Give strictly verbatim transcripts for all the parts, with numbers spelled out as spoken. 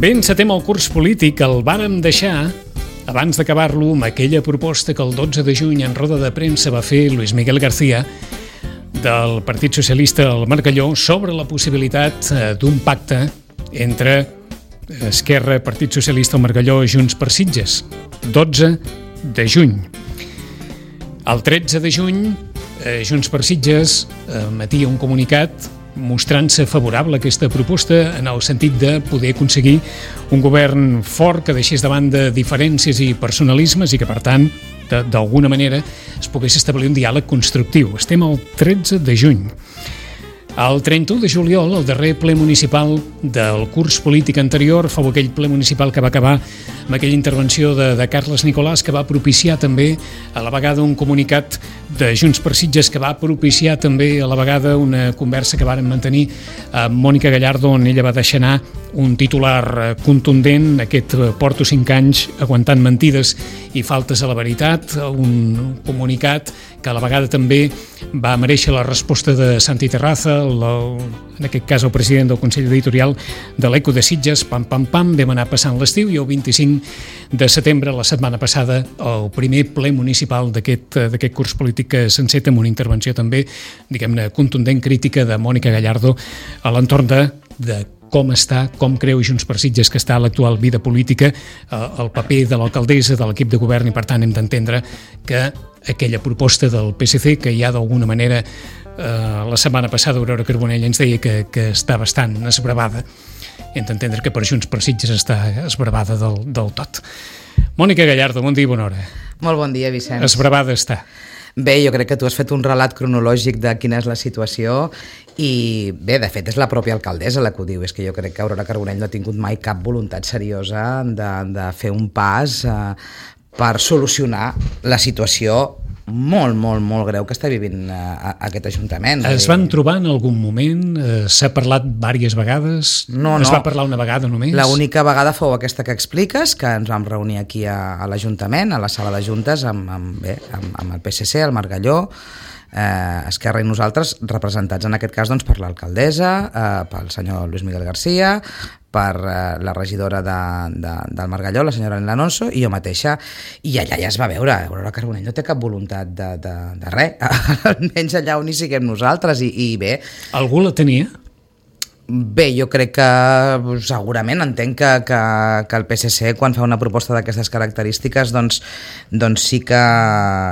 Bé, encetem el curs polític, el vàrem deixar abans d'acabar-lo amb aquella proposta que el dotze de juny en roda de premsa va fer Luis Miguel García del Partit Socialista al Margalló sobre la possibilitat d'un pacte entre Esquerra, Partit Socialista al Margalló i Junts per Sitges. dotze de juny. El tretze de juny, Junts per Sitges emetia un comunicat mostrant-se favorable a aquesta proposta en el sentit de poder aconseguir un govern fort que deixés de banda diferències i personalismes i que, per tant, d'alguna manera es pogués establir un diàleg constructiu. Estem al tretze de juny. El trenta-u de juliol, el darrer ple municipal del curs polític anterior, fou aquell ple municipal que va acabar amb aquella intervenció de, de Carles Nicolàs, que va propiciar també a la vegada un comunicat de Junts per Sitges, que va propiciar també a la vegada una conversa que varen mantenir amb Mònica Gallardo, on ella va deixar anar un titular contundent, aquest porto cinc anys aguantant mentides i faltes a la veritat, un comunicat que a la vegada també va mereixer la resposta de Santi Terraza, el, en aquest cas el president del Consell Editorial de l'Eco de Sitges. Pam, pam, pam, vam anar passant l'estiu i el vint-i-cinc de setembre, la setmana passada, el primer ple municipal d'aquest d'aquest curs polític que s'enceta amb una intervenció també, diguem-ne, contundent crítica de Mònica Gallardo a l'entorn de, de com està, com creu Junts per Sitges que està l'actual vida política, el paper de l'alcaldessa, de l'equip de govern, i per tant hem d'entendre que aquella proposta del P S C, que ja d'alguna manera eh, la setmana passada Aurora Carbonell ens deia que, que està bastant esbravada, hem d'entendre que per Junts per Sitges està esbravada del, del tot. Mònica Gallardo, bon dia i bona hora. Molt bon dia, Vicenç. Esbravada està. Bé, jo crec que tu has fet un relat cronològic de quina és la situació i bé, de fet és la pròpia alcaldessa la que ho diu, és que jo crec que Aurora Carbonell no ha tingut mai cap voluntat seriosa de, de fer un pas eh, per solucionar la situació molt, molt, molt greu que està vivint a, a aquest Ajuntament. Es van trobar en algun moment? Eh, s'ha parlat diverses vegades? No, es no. va parlar una vegada només? L'única vegada fou aquesta que expliques, que ens vam reunir aquí a, a l'Ajuntament, a la sala de juntes, amb, amb, bé, amb, amb el P S C, el Margalló, eh, Esquerra i nosaltres, representats en aquest cas doncs, per l'alcaldessa, eh, pel senyor Luis Miguel García, per eh, la regidora de, de, del Margalló, la senyora Elena Alonso, i jo mateixa, i allà ja es va veure, Aurora Carbonell no té cap voluntat de, de, de res, almenys allà on hi siguem nosaltres, i, i bé... Algú la tenia? Bé, jo crec que segurament entenc que, que, que el P S C quan fa una proposta d'aquestes característiques doncs, doncs sí, que,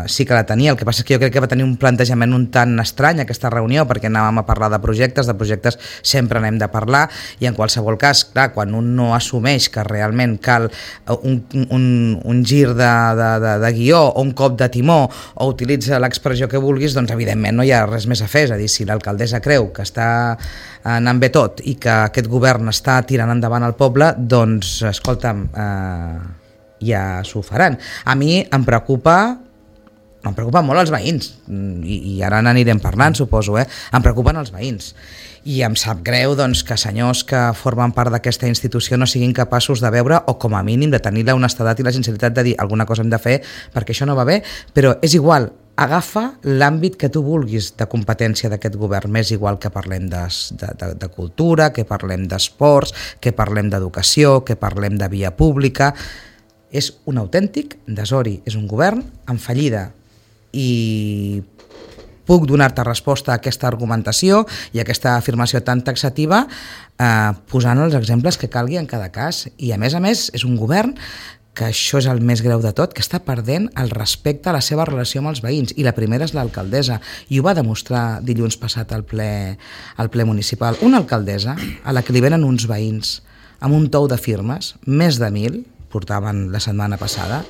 sí que la tenia. El que passa és que jo crec que va tenir un plantejament un tant estrany aquesta reunió, perquè anàvem a parlar de projectes, de projectes sempre n'hem de parlar, i en qualsevol cas, clar, quan un no assumeix que realment cal un, un, un gir de, de, de, de guió o un cop de timó o utilitza l'expressió que vulguis, doncs evidentment no hi ha res més a fer. És a dir, si l'alcaldessa creu que està anant bé tot i que aquest govern està tirant endavant el poble, doncs escolta'm, eh, ja s'ho faran. A mi em preocupa em preocupen molt els veïns i, i ara n'anirem parlant, suposo, eh? Em preocupen els veïns i em sap greu doncs, que senyors que formen part d'aquesta institució no siguin capaços de veure o com a mínim de tenir la honestedat i la sinceritat de dir alguna cosa hem de fer perquè això no va bé, però és igual, agafa l'àmbit que tu vulguis de competència d'aquest govern, m'és igual que parlem de, de, de, de cultura, que parlem d'esports, que parlem d'educació, que parlem de via pública. És un autèntic desori, és un govern en fallida i puc donar-te resposta a aquesta argumentació i a aquesta afirmació tan taxativa eh, posant els exemples que calgui en cada cas. I a més a més és un govern que això és el més greu de tot, que està perdent el respecte a la seva relació amb els veïns, i la primera és l'alcaldessa, i ho va demostrar dilluns passat al ple, al ple municipal. Una alcaldessa a la que li venen uns veïns amb un tou de firmes, més de mil, portaven la setmana passada,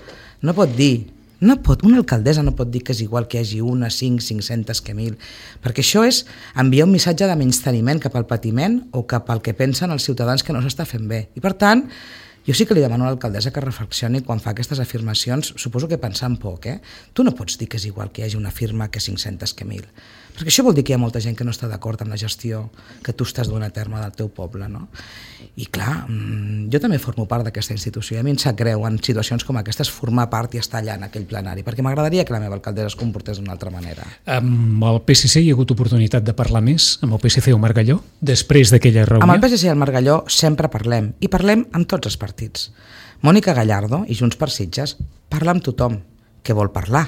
no pot dir, no pot, una alcaldessa no pot dir que és igual que hi hagi una, cinc, cinc-centes que mil, perquè això és enviar un missatge de menysteniment cap al patiment o cap al que pensen els ciutadans que no s'està fent bé. I per tant, jo sí que li demano a l'alcaldessa que reflexioni quan fa aquestes afirmacions, suposo que pensant poc, eh? Tu no pots dir que és igual que hi hagi una firma que cinc-centes que mil, perquè això vol dir que hi ha molta gent que no està d'acord amb la gestió que tu estàs donant a terme del teu poble, no? I clar, jo també formo part d'aquesta institució i a mi em sap greu en situacions com aquestes formar part i estar allà en aquell plenari, perquè m'agradaria que la meva alcaldessa es comportés d'una altra manera. Amb el P S C hi ha hagut oportunitat de parlar més? Amb el P S C o Margalló? Després d'aquella reunió? Amb el P S C i el Margalló sempre parlem, i parlem amb tots els partits. Mònica Gallardo i Junts per Sitges parla amb tothom que vol parlar,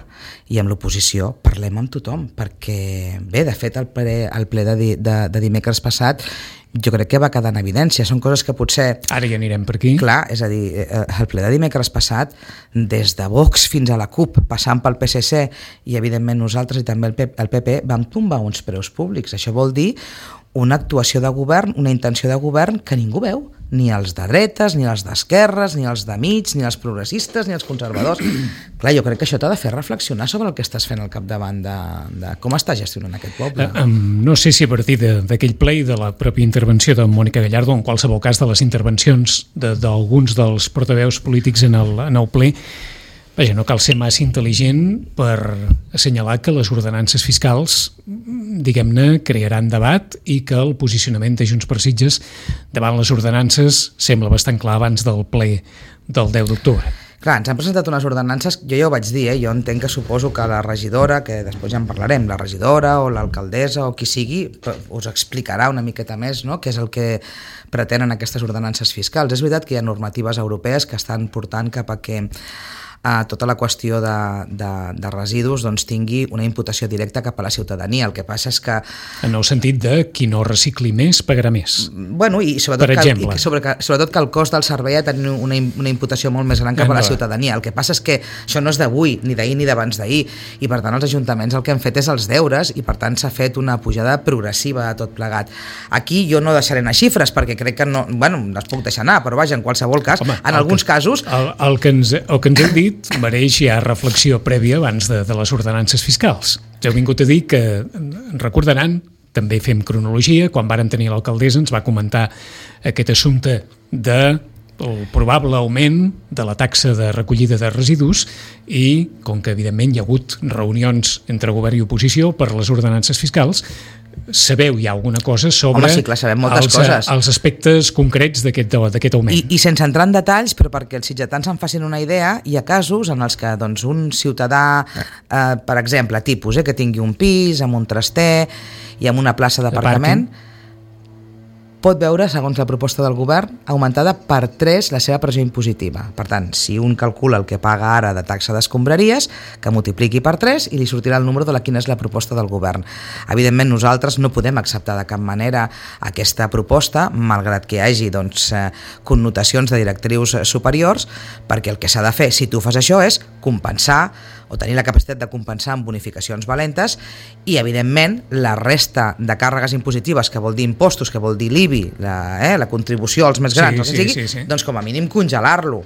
i amb l'oposició parlem amb tothom, perquè bé, de fet el ple, el ple de, de, de dimecres passat jo crec que va quedar en evidència, són coses que potser... Ara ja anirem per aquí. Clar, és a dir, el ple de dimecres passat, des de Vox fins a la CUP, passant pel P S C i evidentment nosaltres i també el P P, vam tombar uns preus públics. Això vol dir una actuació de govern, una intenció de govern que ningú veu, ni els de dretes, ni els d'esquerres, ni els de mig, ni els progressistes, ni els conservadors. Clar, jo crec que això t'ha de fer reflexionar sobre el que estàs fent al capdavant de, de com estàs gestionant aquest poble. Uh, um, no sé si a partir d'aquell ple i de la pròpia intervenció de Mònica Gallardo, en qualsevol cas de les intervencions d'alguns de, dels portaveus polítics en el, en el ple, vaja, no cal ser massa intel·ligent per assenyalar que les ordenances fiscals, diguem-ne, crearan debat i que el posicionament de Junts per Sitges davant les ordenances sembla bastant clar abans del ple del deu d'octubre. Clar, ens han presentat unes ordenances, jo ja ho vaig dir, eh? Jo entenc que suposo que la regidora, que després ja en parlarem, la regidora o l'alcaldessa o qui sigui, us explicarà una miqueta més, no?, què és el que pretenen aquestes ordenances fiscals. És veritat que hi ha normatives europees que estan portant cap a que a tota la qüestió de, de, de residus doncs, tingui una imputació directa cap a la ciutadania. El que passa és que... En el sentit de qui no recicli més pagarà més. Bueno, i sobretot, per exemple. Que, i sobre, que, sobretot que el cost del servei ha de tenir una, una imputació molt més gran cap a la ciutadania. El que passa és que això no és d'avui, ni d'ahir ni d'abans d'ahir, i per tant els ajuntaments el que han fet és els deures i per tant s'ha fet una pujada progressiva a tot plegat. Aquí jo no deixaré anar xifres perquè crec que no... Bueno, les puc deixar anar, però vaja, en qualsevol cas, Home, en alguns que, casos... El, el, que ens, el que ens heu dit mereix ja reflexió prèvia abans de, de les ordenances fiscals. Ja heu vingut a dir que, recordaran, també fem cronologia, quan varen tenir l'alcaldessa ens va comentar aquest assumpte de el probable augment de la taxa de recollida de residus i, com que evidentment hi ha hagut reunions entre govern i oposició per les ordenances fiscals, sabeu ja alguna cosa sobre Home, sí, clar, sabem moltes els, coses. els aspectes concrets d'aquest augment. I, I sense entrar en detalls, però perquè els sitgetans en facin una idea, hi ha casos en els que doncs, un ciutadà, eh, per exemple, tipus, eh, que tingui un pis amb un traster i amb una plaça d'aparcament, pot veure, segons la proposta del govern, augmentada per tres la seva pressió impositiva. Per tant, si un calcula el que paga ara de taxa d'escombraries, que multipliqui per tres i li sortirà el número de la quina és la proposta del govern. Evidentment, nosaltres no podem acceptar de cap manera aquesta proposta, malgrat que hi hagi doncs, connotacions de directrius superiors, perquè el que s'ha de fer, si tu fas això, és compensar o tenir la capacitat de compensar amb bonificacions valentes i, evidentment, la resta de càrregues impositives, que vol dir impostos, que vol dir l'I B I, la, eh, la contribució als més grans, sí, sí, sigui, sí, sí. doncs com a mínim congelar-lo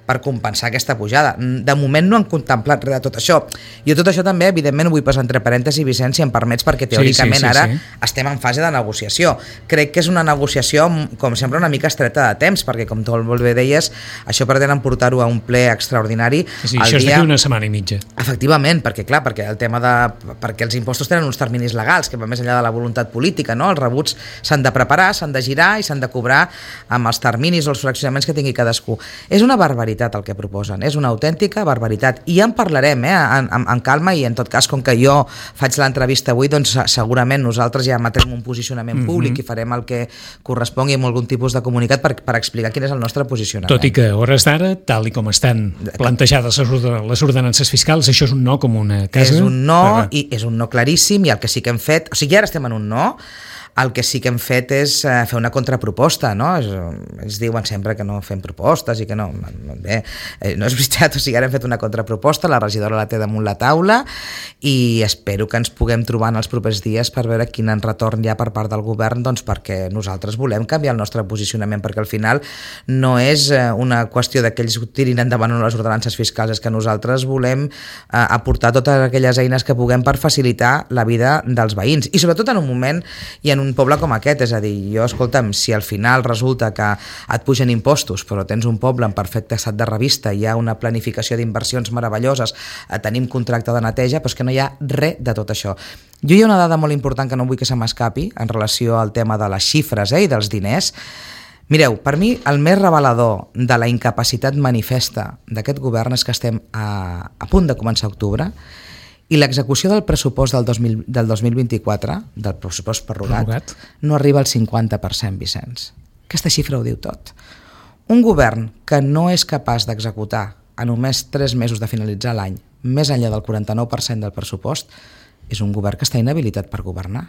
per compensar aquesta pujada. De moment no han contemplat res de tot això. Jo tot això també, evidentment, ho vull posar entre parèntesis, Vicent, si em permets, perquè teòricament sí, sí, sí, ara sí. estem en fase de negociació. Crec que és una negociació, com sempre, una mica estreta de temps, perquè, com tu molt bé deies, això pretenen portar-ho a un ple extraordinari. Sí, això dia... és d'aquí una setmana i mitja. Efectivament, perquè, clar, perquè el tema de... perquè els impostos tenen uns terminis legals que van més enllà de la voluntat política, no? Els rebuts s'han de preparar, s'han de girar i s'han de cobrar amb els terminis o els fraccionaments que tingui cadascú. És una barbaritat el que proposen, és una autèntica barbaritat i ja en parlarem eh, en, en, en calma i en tot cas com que jo faig l'entrevista avui doncs segurament nosaltres ja emetrem un posicionament públic mm-hmm. i farem el que correspongui amb algun tipus de comunicat per, per explicar quin és el nostre posicionament. Tot i que a hores d'ara, tal i com estan plantejades les ordenances fiscals, això és un no com una casa. És un no per... i és un no claríssim i el que sí que hem fet, o sigui ara estem en un no, el que sí que hem fet és eh, fer una contraproposta, no? Es, ens diuen sempre que no fem propostes i que no... no bé, eh, no és veritat, o sigui, ara hem fet una contraproposta, la regidora la té damunt la taula i espero que ens puguem trobar en els propers dies per veure quin retorn hi ha per part del govern, doncs perquè nosaltres volem canviar el nostre posicionament, perquè al final no és eh, una qüestió de que ells tirin endavant les ordenances fiscals, és que nosaltres volem eh, aportar totes aquelles eines que puguem per facilitar la vida dels veïns, i sobretot en un moment i en un un poble com aquest, és a dir, jo, escolta'm, si al final resulta que et pugen impostos, però tens un poble en perfecte estat de revista, hi ha una planificació d'inversions meravelloses, tenim contracte de neteja, però és que no hi ha res de tot això. Jo hi ha una dada molt important que no vull que se m'escapi en relació al tema de les xifres eh, i dels diners. Mireu, per mi el més revelador de la incapacitat manifesta d'aquest govern és que estem a, a punt de començar octubre i l'execució del pressupost del, dos mil, del dos mil vint-i-quatre, del pressupost prorrogat, prorrogat, no arriba al cinquanta per cent, Vicenç. Aquesta xifra ho diu tot. Un govern que no és capaç d'executar a només tres mesos de finalitzar l'any més enllà del quaranta-nou per cent del pressupost és un govern que està inhabilitat per governar.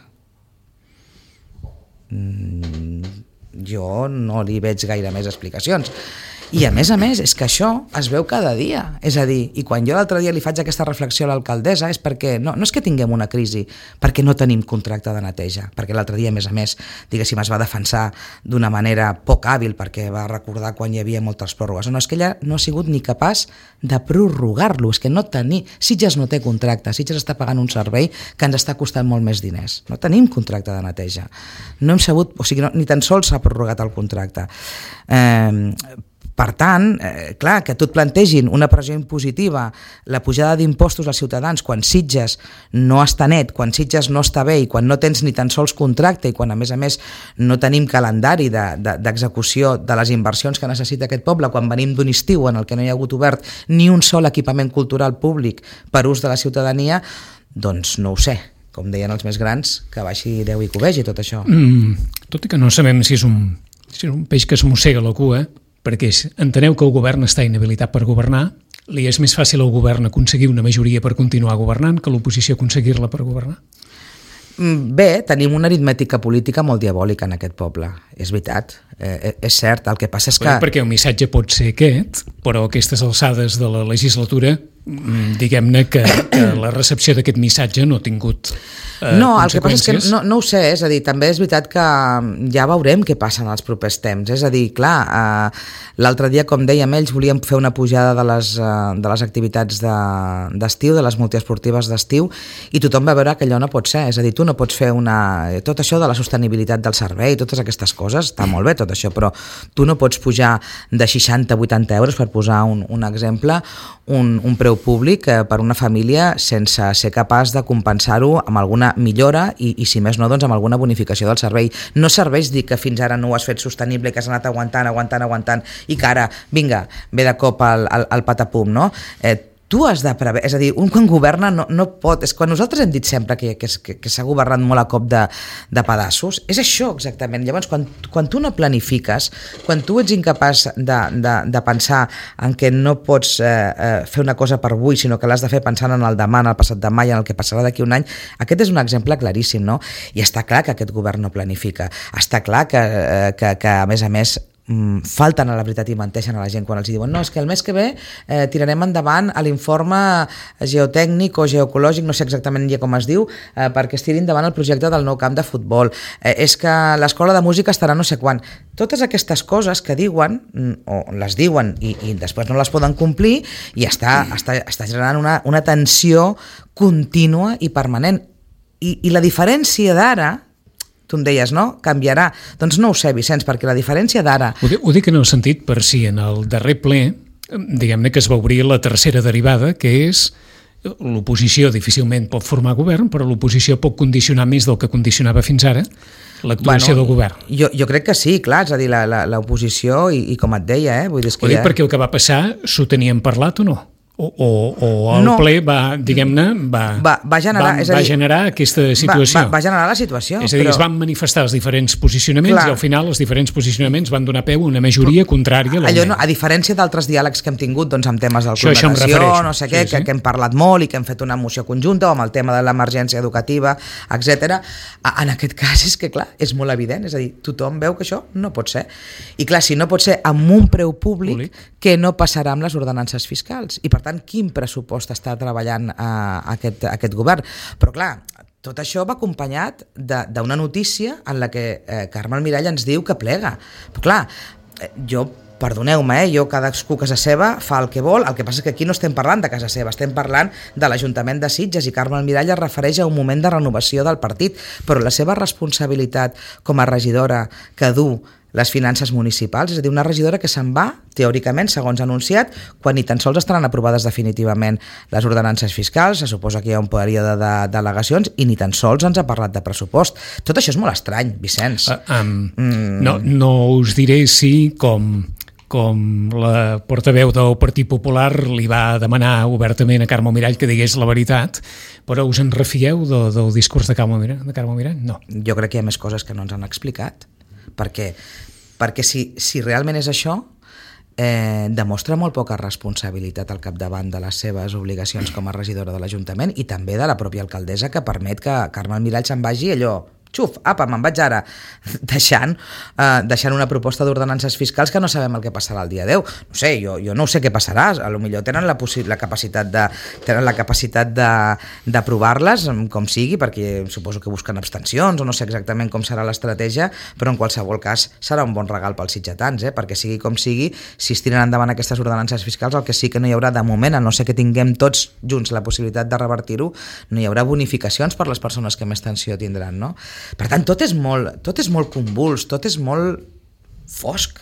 Mm, jo no li veig gaire més explicacions. I a més a més és que això es veu cada dia, és a dir, i quan jo l'altre dia li faig aquesta reflexió a l'alcaldessa és perquè no, no és que tinguem una crisi perquè no tenim contracte de neteja, perquè l'altre dia a més a més diguéssim es va defensar d'una manera poc hàbil perquè va recordar quan hi havia moltes pròrrogues, no, és que ella no ha sigut ni capaç de prorrogar-lo, és que no tenir, Sitges no té contracte, Sitges està pagant un servei que ens està costant molt més diners, no tenim contracte de neteja, no hem sabut, o sigui, no, ni tan sols s'ha prorrogat el contracte. Eh, Per tant, eh, clar, que tu et plantegin una pressió impositiva, la pujada d'impostos als ciutadans quan Sitges no està net, quan Sitges no està bé i quan no tens ni tan sols contracte i quan a més a més no tenim calendari de, de, d'execució de les inversions que necessita aquest poble, quan venim d'un estiu en el que no hi ha hagut obert ni un sol equipament cultural públic per ús de la ciutadania, doncs no ho sé, com deien els més grans, que baixi Déu i covegi tot això. Mm, tot i que no sabem si és un, si és un peix que es mossega la cua, perquè enteneu que el govern està inhabilitat per governar, li és més fàcil al govern aconseguir una majoria per continuar governant que l'oposició aconseguir-la per governar? Bé, tenim una aritmètica política molt diabòlica en aquest poble, és veritat, eh, és cert, el que passa és que... Bé, perquè el missatge pot ser aquest, però a aquestes alçades de la legislatura, diguem-ne que, que la recepció d'aquest missatge no ha tingut eh, no, el que passa és que no, no ho sé, és a dir, també és veritat que ja veurem què passa en els propers temps, és a dir, clar, eh, l'altre dia, com dèiem, ells volien fer una pujada de les, eh, de les activitats de, d'estiu, de les multiesportives d'estiu, i tothom va veure que allò no pot ser, és a dir, tu no pots fer una... tot això de la sostenibilitat del servei, totes aquestes coses, està molt bé tot això, però tu no pots pujar de seixanta a vuitanta euros, per posar un, un exemple, un, un preu públic eh, per una família sense ser capaç de compensar-ho amb alguna millora i, i si més no, doncs amb alguna bonificació del servei. No serveix dir que fins ara no ho has fet sostenible, que has anat aguantant, aguantant, aguantant i que ara, vinga, ve de cop al, al, al patapum, no? Eh, tu has de prever, és a dir, un quan governa no, no pot, és quan nosaltres hem dit sempre que, que, que, que s'ha governat molt a cop de, de pedassos, és això exactament. Llavors, quan, quan tu no planifiques, quan tu ets incapaç de, de, de pensar en que no pots eh, eh, fer una cosa per avui, sinó que l'has de fer pensant en el demà, en el passat demà i en el que passarà d'aquí un any, aquest és un exemple claríssim, no? I està clar que aquest govern no planifica, està clar que, eh, que, que a més a més falten a la veritat i menteixen a la gent quan els diuen no, és que el mes que ve eh, tirarem endavant l'informe geotècnic o geoecològic, no sé exactament ja com es diu, eh, perquè es tiri endavant el projecte del nou camp de futbol, eh, és que l'escola de música estarà no sé quan. Totes aquestes coses que diuen o les diuen i, i després no les poden complir i està, està, està generant una, una tensió contínua i permanent i, i la diferència d'ara, tu em deies, no? Canviarà. Doncs no ho sé, Vicenç, perquè la diferència d'ara... Ho, ho dic en el sentit per si en el darrer ple, diguem-ne que es va obrir la tercera derivada, que és l'oposició difícilment pot formar govern, però l'oposició pot condicionar més del que condicionava fins ara l'actuació bueno, del govern. Jo, jo crec que sí, clar, és a dir, l'oposició, i, i com et deia, eh? Vull dir, és que ho dic ja... perquè el que va passar s'ho tenien parlat o no? O, o, o el no, ple va, diguem-ne, va, va, va, generar, va, és a dir, va generar aquesta situació. Va, va, va generar la situació. És a dir, però... es van manifestar els diferents posicionaments clar. I al final els diferents posicionaments van donar peu a una majoria però, contrària a l'augment. Allò no, a diferència d'altres diàlegs que hem tingut doncs, amb temes del això, conversació, no sé què, sí, sí. Que, que hem parlat molt i que hem fet una moció conjunta o amb el tema de l'emergència educativa, etcètera. En aquest cas és que, clar, és molt evident, és a dir, tothom veu que això no pot ser. I clar, si no pot ser amb un preu públic, públic. Que no passarà amb les ordenances fiscals. I per tant, quin pressupost està treballant eh, aquest, aquest govern. Però clar, tot això va acompanyat d'una notícia en la que eh, Carme Almirall ens diu que plega. Però clar, eh, jo, perdoneu-me, eh, jo cadascú a casa seva fa el que vol, el que passa és que aquí no estem parlant de casa seva, estem parlant de l'Ajuntament de Sitges i Carme Almirall es refereix a un moment de renovació del partit, però la seva responsabilitat com a regidora que du les finances municipals, és a dir, una regidora que se'n va, teòricament, segons anunciat, quan ni tan sols estaran aprovades definitivament les ordenances fiscals, se suposa que hi ha un període de delegacions i ni tan sols ens ha parlat de pressupost. Tot això és molt estrany, Vicenç. Uh, um, mm. no, no us diré si, com, com la portaveu del Partit Popular li va demanar obertament a Carme Mirall que digués la veritat, però us en refieu de, del discurs de Carme Mirall? De Carme Mirall? No. Jo crec que hi ha més coses que no ens han explicat. Perquè, perquè si, si realment és això, eh, demostra molt poca responsabilitat al capdavant de les seves obligacions com a regidora de l'Ajuntament i també de la pròpia alcaldessa, que permet que Carme Mirall se'n vagi allò, xuf, apa, me'n vaig ara, deixant, eh, deixant una proposta d'ordenances fiscals que no sabem el que passarà el dia deu. No sé, jo, jo no sé què passarà, a lo millor tenen la, la capacitat de tenen la capacitat d'aprovar-les, com sigui, perquè suposo que busquen abstencions, o no sé exactament com serà l'estratègia, però en qualsevol cas serà un bon regal pels sitgetans, eh? Perquè sigui com sigui, si es tiren endavant aquestes ordenances fiscals, el que sí que no hi haurà de moment, a no ser que tinguem tots junts la possibilitat de revertir-ho, no hi haurà bonificacions per les persones que més tensió tindran, no? Per tant, tot és molt, tot és molt convuls, tot és molt fosc.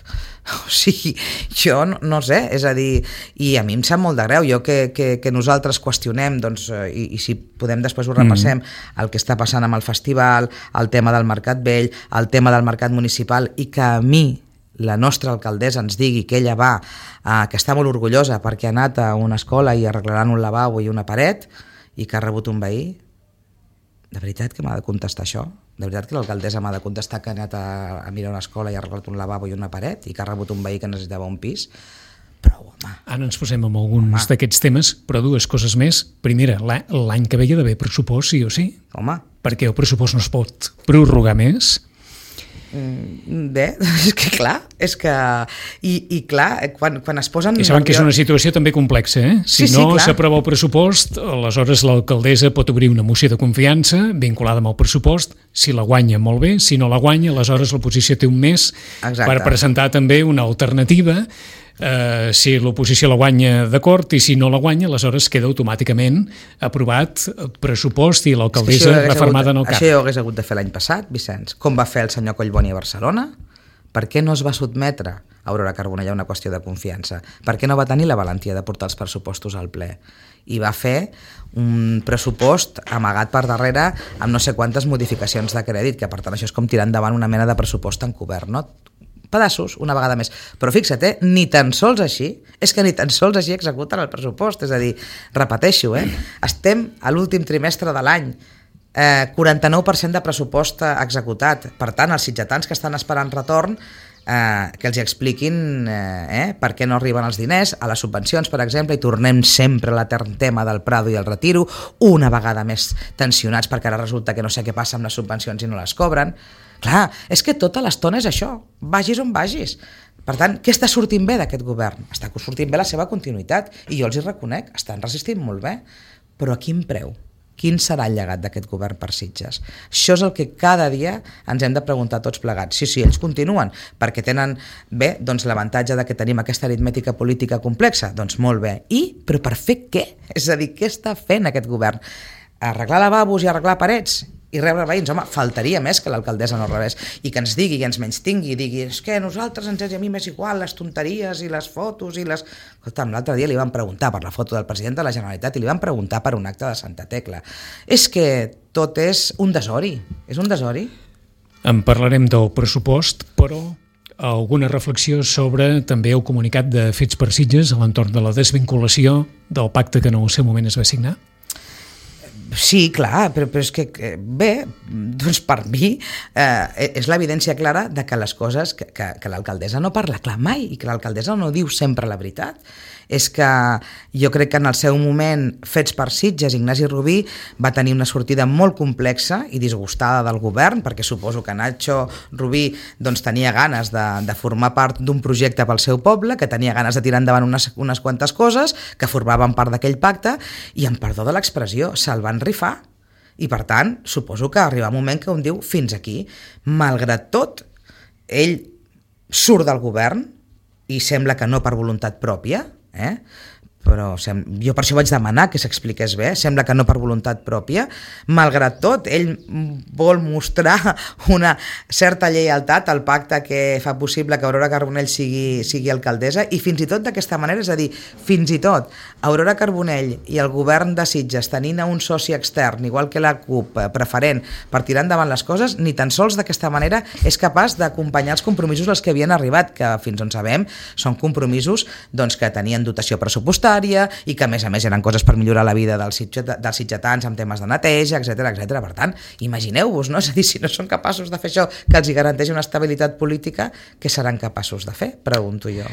O sigui, jo no, no sé, és a dir, i a mi em sap molt de greu, jo que, que, que nosaltres qüestionem, doncs, i, i si podem després ho repassem, mm. el que està passant amb el festival, el tema del Mercat Vell, el tema del Mercat Municipal, i que a mi la nostra alcaldessa ens digui que ella va, eh, que està molt orgullosa perquè ha anat a una escola i arreglaran un lavabo i una paret, i que ha rebut un veí. De veritat que m'ha de contestar això? De veritat que l'alcaldessa m'ha de contestar que ha anat a, a mirar una escola i ha arreglat un lavabo i una paret i que ha rebut un veí que necessitava un pis? Però, home... Ara ens posem amb alguns d'aquests temes, però dues coses més. Primera, l'any que ve hi ha d'haver pressupost, sí o sí? Home... Perquè el pressupost no es pot prorrogar més? Bé, és que clar, és que... I, i clar, quan, quan es posen... I saben que és una situació també complexa, eh? Si sí, sí, no clar. S'aprova el pressupost, aleshores l'alcaldessa pot obrir una moció de confiança vinculada amb el pressupost, si la guanya molt bé, si no la guanya, aleshores l'oposició té un mes Exacte. Per presentar també una alternativa. Uh, si l'oposició la guanya, d'acord, i si no la guanya, aleshores queda automàticament aprovat el pressupost i l'alcaldessa refermada en el cap. Això ho hagués hagut de fer l'any passat, Vicenç. Com va fer el senyor Collboni a Barcelona? Per què no es va sotmetre a Aurora Carbonell a una qüestió de confiança? Per què no va tenir la valentia de portar els pressupostos al ple? I va fer un pressupost amagat per darrere amb no sé quantes modificacions de crèdit, que per tant això és com tirar endavant una mena de pressupost encobert, no? Pedaços, una vegada més. Però fixa't, eh? ni tan sols així, és que ni tan sols així executen el pressupost, és a dir, repeteixo, eh? estem a l'últim trimestre de l'any, eh, quaranta-nou per cent de pressupost executat, per tant, els sitgetans que estan esperant retorn, eh, que els expliquin eh, eh, per què no arriben els diners, a les subvencions, per exemple, i tornem sempre a l'etern tema del Prado i el Retiro, una vegada més tensionats perquè ara resulta que no sé què passa amb les subvencions i no les cobren. Clar, és que tota l'estona és això, vagis on vagis. Per tant, què està sortint bé d'aquest govern? Està sortint bé la seva continuïtat, i jo els hi reconec, estan resistint molt bé, però a quin preu? Quin serà el llegat d'aquest govern per Sitges? Això és el que cada dia ens hem de preguntar tots plegats. Sí, sí, ells continuen, perquè tenen bé doncs, l'avantatge de que tenim aquesta aritmètica política complexa. Doncs molt bé. I, però per fer què? És a dir, què està fent aquest govern? Arreglar lavabos i arreglar parets? I rebre veïns? Home, faltaria més que l'alcaldessa no rebés i que ens digui, que ens menystingui i digui, és que a nosaltres ens és a mi més igual les tonteries i les fotos i les... Escolta'm, l'altre dia li van preguntar per la foto del president de la Generalitat i li van preguntar per un acte de Santa Tecla. És que tot és un desori, és un desori. En parlarem del pressupost, però alguna reflexió sobre també el comunicat de Fets per Sitges a l'entorn de la desvinculació del pacte que en el seu moment es va signar? Sí, clar, però, però és que, bé, doncs per mi eh, és l'evidència clara de que les coses, que, que, que l'alcaldessa no parla clar mai i que l'alcaldessa no diu sempre la veritat. És que jo crec que en el seu moment Fets per Sitges, Ignasi Rubí va tenir una sortida molt complexa i disgustada del govern, perquè suposo que Nacho Rubí doncs, tenia ganes de, de formar part d'un projecte pel seu poble, que tenia ganes de tirar endavant unes, unes quantes coses que formaven part d'aquell pacte i, en perdó de l'expressió, se'l van rifar. I per tant, suposo que arriba un moment que un diu fins aquí. Malgrat tot, ell surt del govern i sembla que no per voluntat pròpia, eh? però sem- jo per això vaig demanar que s'expliqués bé, sembla que no per voluntat pròpia. Malgrat tot, ell vol mostrar una certa lleialtat al pacte que fa possible que Aurora Carbonell sigui, sigui alcaldessa, i fins i tot d'aquesta manera, és a dir, fins i tot Aurora Carbonell i el govern de Sitges tenint un soci extern, igual que la CUP, preferent per tirar endavant les coses, ni tan sols d'aquesta manera és capaç d'acompanyar els compromisos als que havien arribat, que fins on sabem són compromisos doncs, que tenien dotació pressupostària i que a més a més eren coses per millorar la vida dels, sitget, dels sitgetans amb temes de neteja, etcètera etcètera. Per tant, imagineu-vos, no? És a dir, si no són capaços de fer això que els hi garanteix una estabilitat política, què seran capaços de fer? Pregunto jo.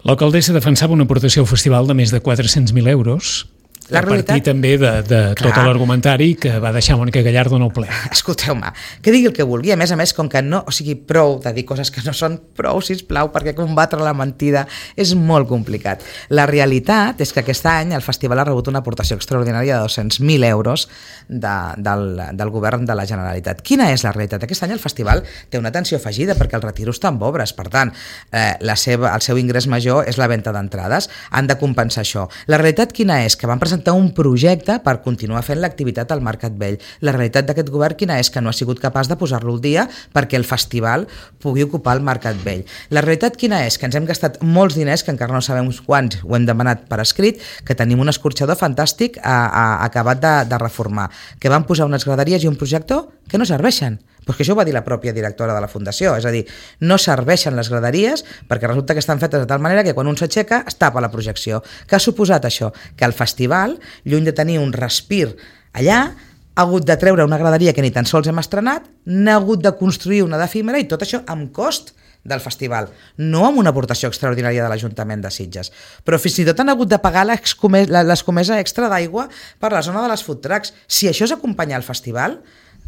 L'alcaldessa defensava una aportació al festival de més de quatre-cents mil euros, La a partir realitat... també de, de tot l'argumentari que va deixar Mònica Gallardo en el ple. Escolteu-me, que digui el que vulgui, a més a més, com que no, o sigui, prou de dir coses que no són prou, sisplau, perquè combatre la mentida és molt complicat. La realitat és que aquest any el festival ha rebut una aportació extraordinària de dos-cents mil euros de, del, del govern de la Generalitat. Quina és la realitat? Aquest any el festival té una atenció afegida perquè el retiro està en obres, per tant, eh, la seva, el seu ingrés major és la venda d'entrades, han de compensar això. La realitat quina és? Que van presentar un projecte per continuar fent l'activitat al Mercat Vell. La realitat d'aquest govern quina és? Que no ha sigut capaç de posar-lo al dia perquè el festival pugui ocupar el Mercat Vell. La realitat quina és? Que ens hem gastat molts diners, que encara no sabem quants, ho hem demanat per escrit, que tenim un escorxador fantàstic a, a, acabat de, de reformar, que van posar unes graderies i un projector que no serveixen. Pues que això ho va dir la pròpia directora de la Fundació, és a dir, no serveixen les graderies perquè resulta que estan fetes de tal manera que quan un s'aixeca es tapa la projecció. Què ha suposat això? Que el festival, lluny de tenir un respir allà, ha hagut de treure una graderia que ni tan sols hem estrenat, n'ha hagut de construir una d'efímera, i tot això amb cost del festival, no amb una aportació extraordinària de l'Ajuntament de Sitges. Però fins i tot han hagut de pagar l'escomesa extra d'aigua per la zona de les food trucks. Si això és acompanyar el festival,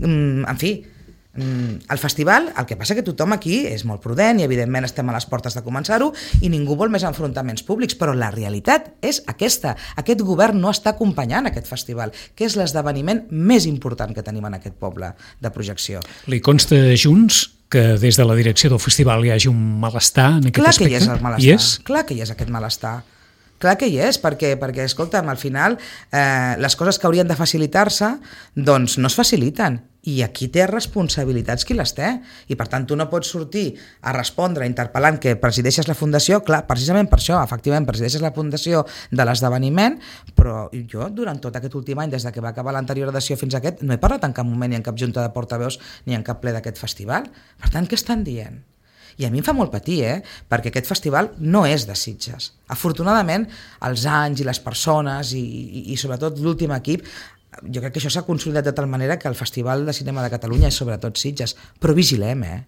en fi, el festival, el que passa que tothom aquí és molt prudent i evidentment estem a les portes de començar-ho i ningú vol més enfrontaments públics, però la realitat és aquesta. Aquest govern no està acompanyant aquest festival, que és l'esdeveniment més important que tenim en aquest poble de projecció. Li consta a Junts que des de la direcció del festival hi hagi un malestar en aquest Clar aspecte? Que hi és el malestar. Hi és? Clar que hi és aquest malestar. Clar que hi és, perquè, perquè escolta'm, al final eh, les coses que haurien de facilitar-se doncs no es faciliten, i aquí té responsabilitats qui les té, i per tant tu no pots sortir a respondre interpel·lant que presideixes la fundació, clar, precisament per això, efectivament presideixes la fundació de l'esdeveniment, però jo durant tot aquest últim any, des de que va acabar l'anterior edició fins a aquest, no he parlat en cap moment ni en cap junta de portaveus ni en cap ple d'aquest festival. Per tant, què estan dient? I a mi em fa molt patir, eh? Perquè aquest festival no és de Sitges. Afortunadament, els anys i les persones i, i, i sobretot l'últim equip, jo crec que això s'ha consolidat de tal manera que el Festival de Cinema de Catalunya és sobretot Sitges. Però vigilem, eh?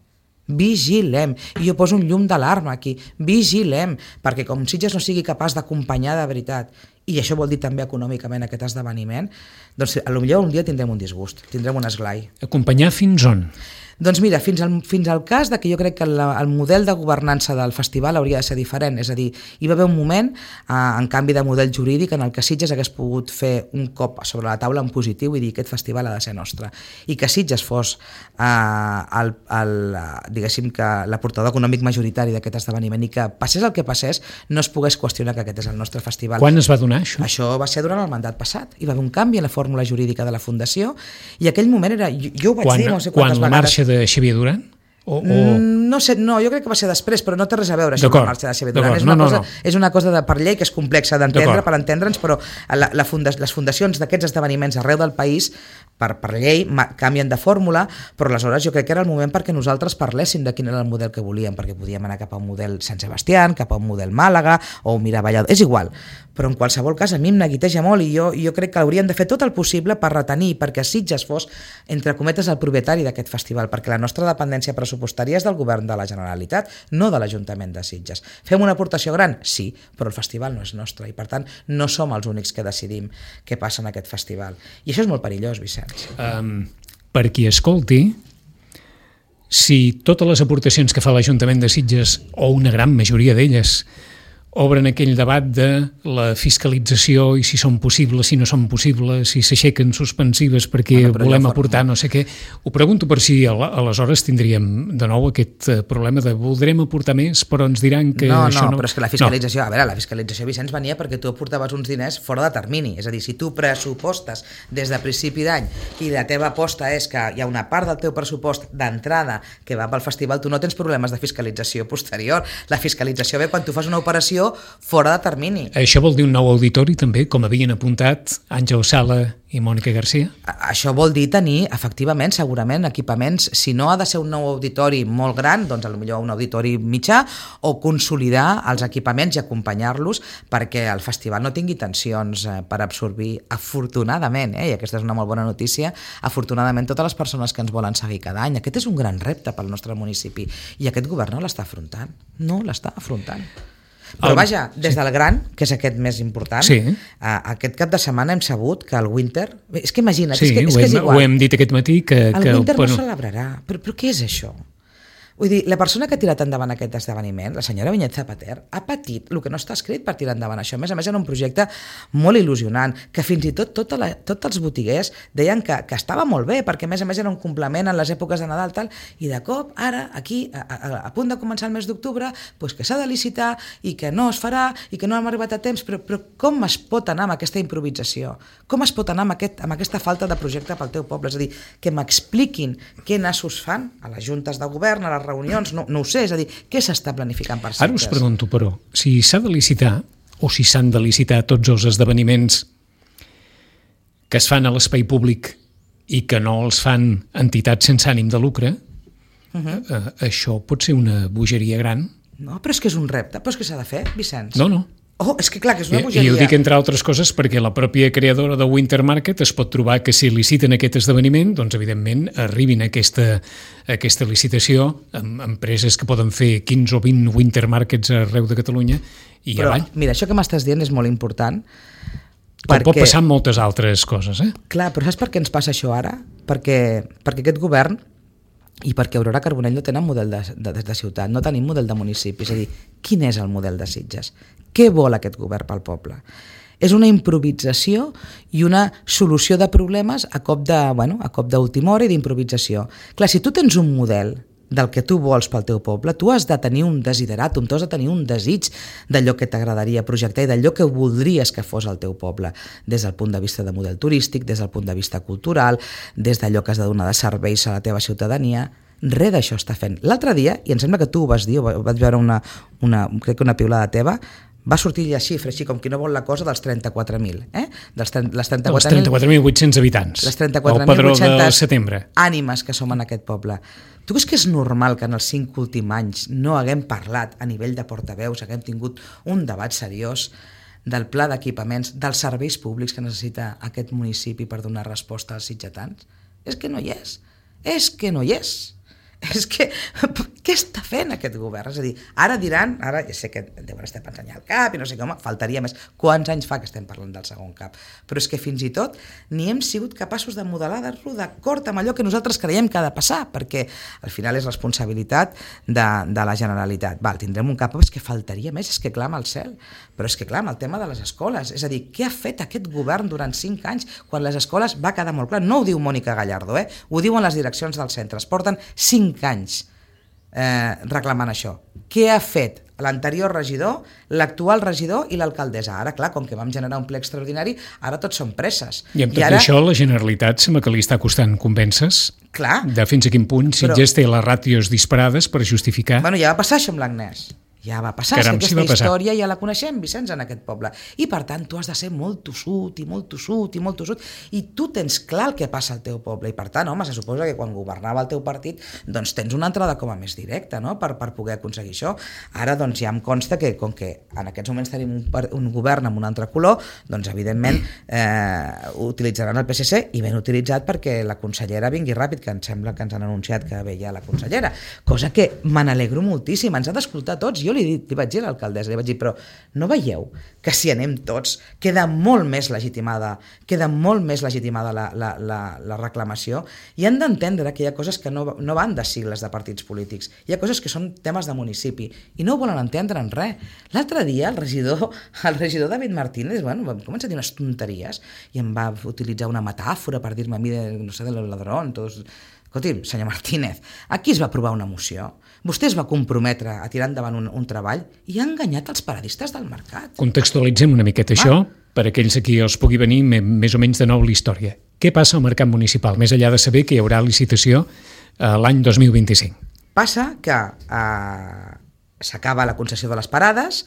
Vigilem. I jo poso un llum d'alarma aquí. Vigilem, perquè com Sitges no sigui capaç d'acompanyar de veritat, i això vol dir també econòmicament aquest esdeveniment, doncs potser un dia tindrem un disgust, tindrem un esglai. Acompanyar fins on? Doncs mira, fins al, fins al cas de que jo crec que la, el model de governança del festival hauria de ser diferent, és a dir, hi va haver un moment, eh, en canvi de model jurídic, en el que Sitges hagués pogut fer un cop sobre la taula en positiu i dir que aquest festival ha de ser nostre, i que Sitges fos eh, el, el, diguéssim que l'aportador econòmic majoritari d'aquest esdeveniment, i que passés el que passés no es pogués qüestionar que aquest és el nostre festival. Quan es va donar això? Això va ser durant el mandat passat, hi va haver un canvi en la fórmula jurídica de la Fundació, i aquell moment era, jo, jo ho vaig quan, dir no sé quantes quan la vegades. Marxa de Xavier Duran? O, o... No sé, no, jo crec que va ser després, però no té res a veure això amb la marxa de Xavier Duran. És una, no, cosa, no, no. és una cosa de, per llei que és complexa d'entendre, per entendre'ns, però la, la funda, les fundacions d'aquests esdeveniments arreu del país, per, per llei, canvien de fórmula, però aleshores jo crec que era el moment perquè nosaltres parléssim de quin era el model que volíem, perquè podíem anar cap a un model Sant Sebastián, cap a un model Màlaga, o mirar Valladolid, és igual. Però en qualsevol cas a mi em neguiteja molt, i jo, jo crec que haurien de fer tot el possible per retenir, perquè Sitges fos, entre cometes, el propietari d'aquest festival, perquè la nostra dependència pressupostària és del govern de la Generalitat, no de l'Ajuntament de Sitges. Fem una aportació gran? Sí, però el festival no és nostre, i per tant no som els únics que decidim què passa en aquest festival. I això és molt perillós, Vicenç. Um, per qui escolti, si totes les aportacions que fa l'Ajuntament de Sitges, o una gran majoria d'elles, obren aquell debat de la fiscalització i si són possibles, si no són possibles, si s'aixequen suspensives perquè bueno, volem aportar no sé què. Ho pregunto per si aleshores tindríem de nou aquest problema de voldrem aportar més, però ens diran que no, això no... No, però és que la fiscalització, no. a veure, la fiscalització, Vicenç, venia perquè tu aportaves uns diners fora de termini. És a dir, si tu pressupostes des de principi d'any i la teva aposta és que hi ha una part del teu pressupost d'entrada que va pel festival, tu no tens problemes de fiscalització posterior. La fiscalització ve quan tu fas una operació fora de termini. Això vol dir un nou auditori també, com havien apuntat Àngel Sala i Mònica Garcia? Això vol dir tenir, efectivament, segurament, equipaments, si no ha de ser un nou auditori molt gran, doncs potser un auditori mitjà, o consolidar els equipaments i acompanyar-los perquè el festival no tingui tensions per absorbir, afortunadament, eh, i aquesta és una molt bona notícia, afortunadament totes les persones que ens volen seguir cada any. Aquest és un gran repte pel nostre municipi i aquest govern no l'està afrontant, no l'està afrontant. Però vaja, des del Gran, que és aquest més important, sí. aquest cap de setmana hem sabut que el Winter... És que imagina't, sí, és que, és ho, que hem, és igual. ho hem dit aquest matí que... El que, Winter bueno... no celebrarà. Però, però què és això? Vull dir, la persona que ha tirat endavant aquest esdeveniment, la senyora Vinyet Zapater, ha patit el que no està escrit per tirar endavant això. A més a més, era un projecte molt il·lusionant, que fins i tot tota la, tots els botiguers deien que, que estava molt bé, perquè a més a més era un complement en les èpoques de Nadal, tal, i de cop, ara, aquí, a, a, a punt de començar el mes d'octubre, doncs que s'ha de licitar i que no es farà i que no hem arribat a temps, però, però com es pot anar amb aquesta improvisació? Com es pot anar amb, aquest, amb aquesta falta de projecte pel teu poble? És a dir, que m'expliquin què nassos fan a les juntes de govern, a les reunions, no, no ho sé, és a dir, què s'està planificant per sectes? Ara us pregunto, però, si s'ha de licitar o si s'han de licitar tots els esdeveniments que es fan a l'espai públic i que no els fan entitats sense ànim de lucre, uh-huh. eh, això pot ser una bogeria gran? No, però és que és un repte, però és que s'ha de fer, Vicenç. No, no. Oh, és que clar, que és una I, bogeria. I ho dic entre altres coses perquè la pròpia creadora de Winter Market es pot trobar que si liciten aquest esdeveniment, doncs evidentment arribin a aquesta, a aquesta licitació amb empreses que poden fer quinze o vint Winter Markets arreu de Catalunya i però, avall. Mira, això que m'estàs dient és molt important. Com perquè... pot passar amb moltes altres coses, eh? Clar, però saps per què ens passa això ara? Perquè, perquè aquest govern i perquè Aurora Carbonell no tenen model de, de, de ciutat, no tenim model de municipi. És a dir, quin és el model de Sitges? Què vol aquest govern pel poble? És una improvisació i una solució de problemes a cop de, bueno, a cop d'última hora i d'improvisació. Clar, si tu tens un model del que tu vols pel teu poble, tu has de tenir un desideratum, tu has de tenir un desig d'allò que t'agradaria projectar i d'allò que voldries que fos el teu poble, des del punt de vista de model turístic, des del punt de vista cultural, des d'allò que has de donar de serveis a la teva ciutadania. Res d'això està fent. L'altre dia, i em sembla que tu ho vas dir, ho vaig veure una, una, crec que una piulada teva, va sortir la xifra, així com qui no vol la cosa, dels trenta-quatre mil. Eh? Dels trenta-quatre mil vuit-cents habitants. Les trenta-quatre mil vuit-cents ànimes que som en aquest poble. Tu creus que és normal que en els cinc últims anys no haguem parlat a nivell de portaveus, haguem tingut un debat seriós del pla d'equipaments, dels serveis públics que necessita aquest municipi per donar resposta als sitgetans? És que no hi és. És que no hi és. És que, què està fent aquest govern? És a dir, ara diran, ara ja sé que deuen estar pensant ja al cap i no sé com, faltaria més. Quants anys fa que estem parlant del segon cap? Però és que fins i tot ni hem sigut capaços de modelar-lo d'acord amb allò que nosaltres creiem que ha de passar, perquè al final és responsabilitat de, de la Generalitat. Val, tindrem un cap, però és que faltaria més, és que clama al cel. Però és que clar, el tema de les escoles, és a dir, què ha fet aquest govern durant cinc anys quan les escoles va quedar molt clar? No ho diu Mònica Gallardo, eh? Ho diuen les direccions dels centres. Porten cinc anys eh, reclamant això. Què ha fet l'anterior regidor, l'actual regidor i l'alcaldessa? Ara, clar, com que vam generar un ple extraordinari, ara tots són presses. I amb tot I ara... això la Generalitat sembla que li està costant convèncer-se clar, de fins a quin punt Sitges però... té les ràtios disparades per justificar... Bueno, ja va passar això amb l'Agnès. Ja va passar, Caram, aquesta sí va història ja la coneixem, Vicenç, en aquest poble. I per tant, tu has de ser molt tossut i molt tossut i molt tossut, i tu tens clar el que passa al teu poble, i per tant, home, se suposa que quan governava el teu partit, doncs tens una entrada com a més directa, no?, per, per poder aconseguir això. Ara, doncs, ja em consta que, com que en aquests moments tenim un, un govern amb un altre color, doncs, evidentment, eh, utilitzaran el P S C, i ben utilitzat perquè la consellera vingui ràpid, que em sembla que ens han anunciat que ve ja la consellera, cosa que me n'alegro moltíssim, ens ha d'escoltar tots. Jo jo li, dit, li vaig dir a l'alcaldessa, li vaig dir, però no veieu que si anem tots queda molt més legitimada, queda molt més legitimada la, la, la, la reclamació, i han d'entendre que hi ha coses que no, no van de sigles de partits polítics, hi ha coses que són temes de municipi, i no ho volen entendre en res. L'altre dia el regidor, el regidor David Martínez, bueno, va començar a dir unes tonteries, i em va utilitzar una metàfora per dir-me a mi, de, no sé, de los ladrons, tots... Escolti'm, senyor Martínez, aquí es va aprovar una moció, vostè es va comprometre a tirar endavant un, un treball i ha enganyat els paradistes del mercat. Contextualitzem una miqueta això, ah. per aquells a qui els pugui venir més o menys de nou la història. Què passa al mercat municipal, més enllà de saber que hi haurà licitació eh, l'any dos mil vint-i-cinc? Passa que eh, s'acaba la concessió de les parades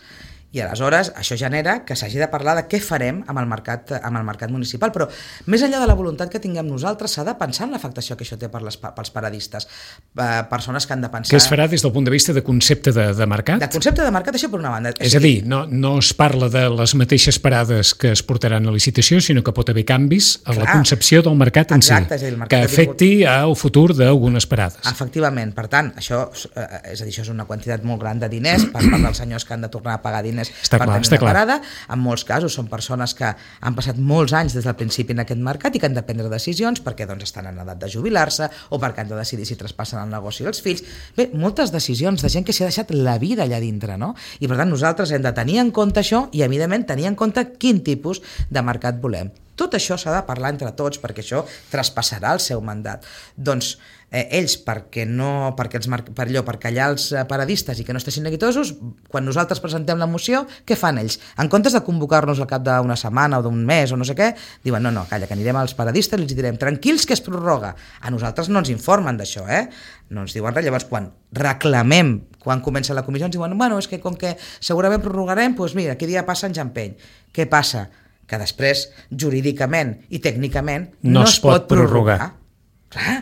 i aleshores això genera que s'hagi de parlar de què farem amb el mercat, amb el mercat municipal, però més enllà de la voluntat que tinguem nosaltres s'ha de pensar en l'afectació que això té per les, pels paradistes, eh, persones que han de pensar... Què es farà des del punt de vista de concepte de, de mercat? De concepte de mercat, això per una banda. És a dir, no, no es parla de les mateixes parades que es portaran a licitació, sinó que pot haver canvis a la concepció del mercat en exacte, si, és a dir, el mercat que afecti al futur d'algunes parades. Efectivament, per tant, això, eh, és a dir, això és una quantitat molt gran de diners per part dels senyors que han de tornar a pagar diners està per clar, tenir està una clar. parada. En molts casos són persones que han passat molts anys des del principi en aquest mercat i que han de prendre decisions perquè doncs, estan en edat de jubilar-se o perquè han de decidir si traspassen el negoci als fills. Bé, moltes decisions de gent que s'ha deixat la vida allà dintre, no? I per tant nosaltres hem de tenir en compte això i evidentment tenir en compte quin tipus de mercat volem. Tot això s'ha de parlar entre tots perquè això traspassarà el seu mandat. Doncs eh, ells, perquè no, perquè els, per allò, per callar els paradistes i que no estiguin neguitosos, quan nosaltres presentem la moció, què fan ells? En comptes de convocar-nos al cap d'una setmana o d'un mes o no sé què, diuen no, no, calla, que anirem als paradistes i els direm tranquils que es prorroga. A nosaltres no ens informen d'això, eh? No ens diuen res. Llavors, quan reclamem, quan comença la comissió, ens diuen, bueno, és que com que segurament prorrogarem, doncs mira, aquell dia passa en Jampeny. Què passa? Que després, jurídicament i tècnicament, no, no es, es pot, pot prorrogar. prorrogar. Clar,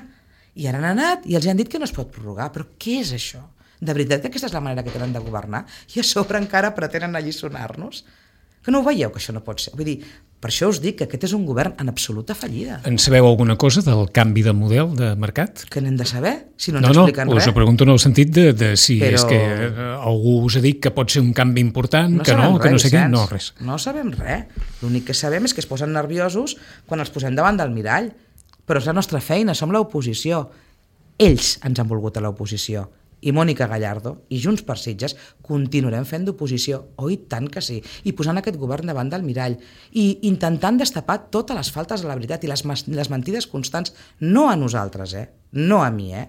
i ara han anat i els han dit que no es pot prorrogar. Però què és això? De veritat que aquesta és la manera que tenen de governar? I a sobre encara pretenen alliçonar-nos? Que no ho veieu, que això no pot ser? Vull dir, per això us dic que aquest és un govern en absoluta fallida. En sabeu alguna cosa del canvi de model de mercat? Que n'hem de saber? Si no ens no, no, expliquen res. No, us ho pregunto en el sentit de, de si Però... és que algú us ha dit que pot ser un canvi important, no que no, res, que no sé què, no, res. No sabem res. L'únic que sabem és que es posen nerviosos quan els posem davant del mirall. Però és la nostra feina, som l'oposició. Ells ens han volgut a l'oposició. I Mònica Gallardo i Junts per Sitges continuarem fent d'oposició, oh i tant que sí, i posant aquest govern davant del mirall i intentant destapar totes les faltes a la veritat i les, les mentides constants, no a nosaltres, eh? No a mi, eh?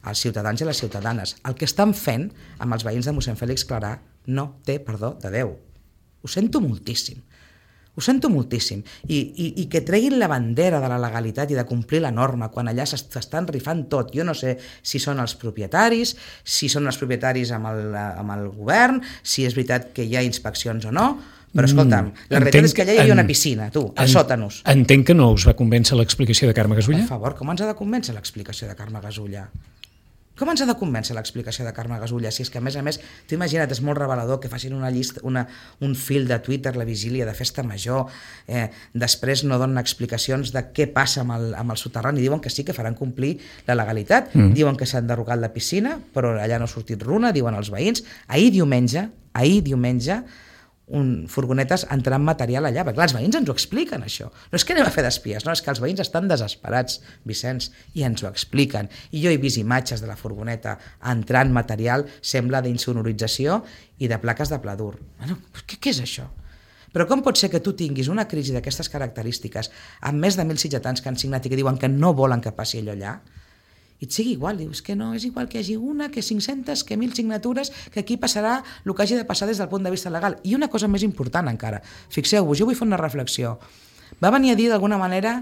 als ciutadans i les ciutadanes. El que estan fent amb els veïns de mossèn Fèlix Clarà no té perdó de Déu. Ho sento moltíssim. Ho sento moltíssim. I, i, i que treguin la bandera de la legalitat i de complir la norma quan allà s'estan rifant tot. Jo no sé si són els propietaris, si són els propietaris amb el, amb el govern, si és veritat que hi ha inspeccions o no, però escolta'm, la realitat és que allà hi havia una piscina, tu, als sòtanos. Entenc que no us va convèncer l'explicació de Carme Gasulla? Per favor, com ens ha de convèncer l'explicació de Carme Gasulla? Com ens ha de convèncer l'explicació de Carme Gasulla? Si és que, a més a més, t'ho imagina't, és molt revelador que facin una llista, una, un fil de Twitter la vigília de festa major, eh, després no donen explicacions de què passa amb el, amb el soterrani, diuen que sí que faran complir la legalitat, mm. diuen que s'han derrogat la piscina, però allà no ha sortit runa, diuen els veïns. Ahir diumenge, ahir diumenge, un, furgonetes entrant material allà, perquè clar, els veïns ens ho expliquen això, no és que anem a fer d'espies, no, és que els veïns estan desesperats, Vicenç, i ens ho expliquen, i jo he vist imatges de la furgoneta entrant material, sembla d'insonorització i de plaques de pla dur. Bueno, què, què és això? Però com pot ser que tu tinguis una crisi d'aquestes característiques amb més de mil sitgetans que han signat i que diuen que no volen que passi allò allà? I et sigui igual, dius que no, és igual que hi hagi una, que cinc-centes, que mil signatures, que aquí passarà el que hagi de passar des del punt de vista legal. I una cosa més important encara, fixeu-vos, jo vull fer una reflexió. Va venir a dir d'alguna manera,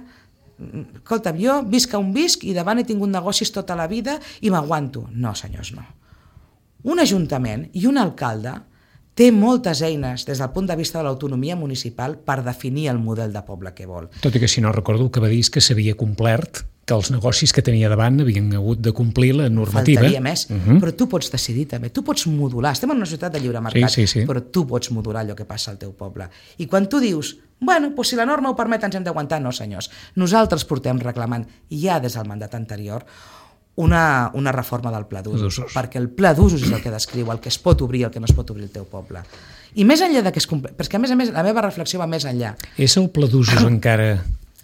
escolta, jo visc on visc i davant he tingut negocis tota la vida i m'aguanto. No, senyors, no. Un ajuntament i un alcalde té moltes eines des del punt de vista de l'autonomia municipal per definir el model de poble que vol. Tot i que, si no recordo, el que va dir és que s'havia complert, que els negocis que tenia davant havien hagut de complir la normativa. Faltaria més, uh -huh. però tu pots decidir també, tu pots modular. Estem en una societat de lliure mercat, sí, sí, sí. però tu pots modular allò que passa al teu poble. I quan tu dius, bueno, doncs si la norma ho permet ens hem d'aguantar, no senyors. Nosaltres portem reclamant ja des del mandat anterior una, una reforma del pla d'usos, perquè el pla d'usos és el que descriu el que es pot obrir i el que no es pot obrir el teu poble. I més enllà de que es compleix, perquè a més a més la meva reflexió va més enllà. És el pla d'usos encara...